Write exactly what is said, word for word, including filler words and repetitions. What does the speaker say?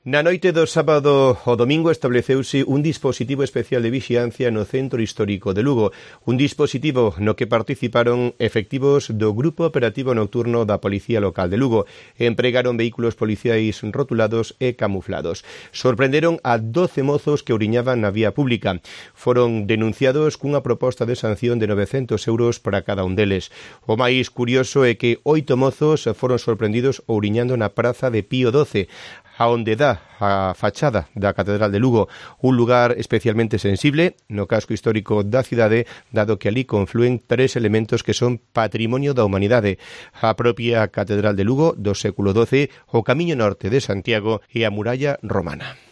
Na noite do sábado ao domingo estableceuse un dispositivo especial de vixiancia no centro histórico de Lugo, un dispositivo no que participaron efectivos do Grupo Operativo Nocturno da Policía Local de Lugo. Empregaron vehículos policiais rotulados e camuflados. Sorprenderon a doce mozos que ouriñaban na vía pública. Foron denunciados cunha proposta de sanción de novecentos euros para cada un deles. O máis curioso é que oito mozos foron sorprendidos ouriñando na praza de Pío doce, a onde dá a fachada da Catedral de Lugo, un lugar especialmente sensible no casco histórico da cidade, dado que ali conflúen tres elementos que son patrimonio da humanidade: a propia Catedral de Lugo do século doce, o Camiño Norte de Santiago e a Muralla Romana.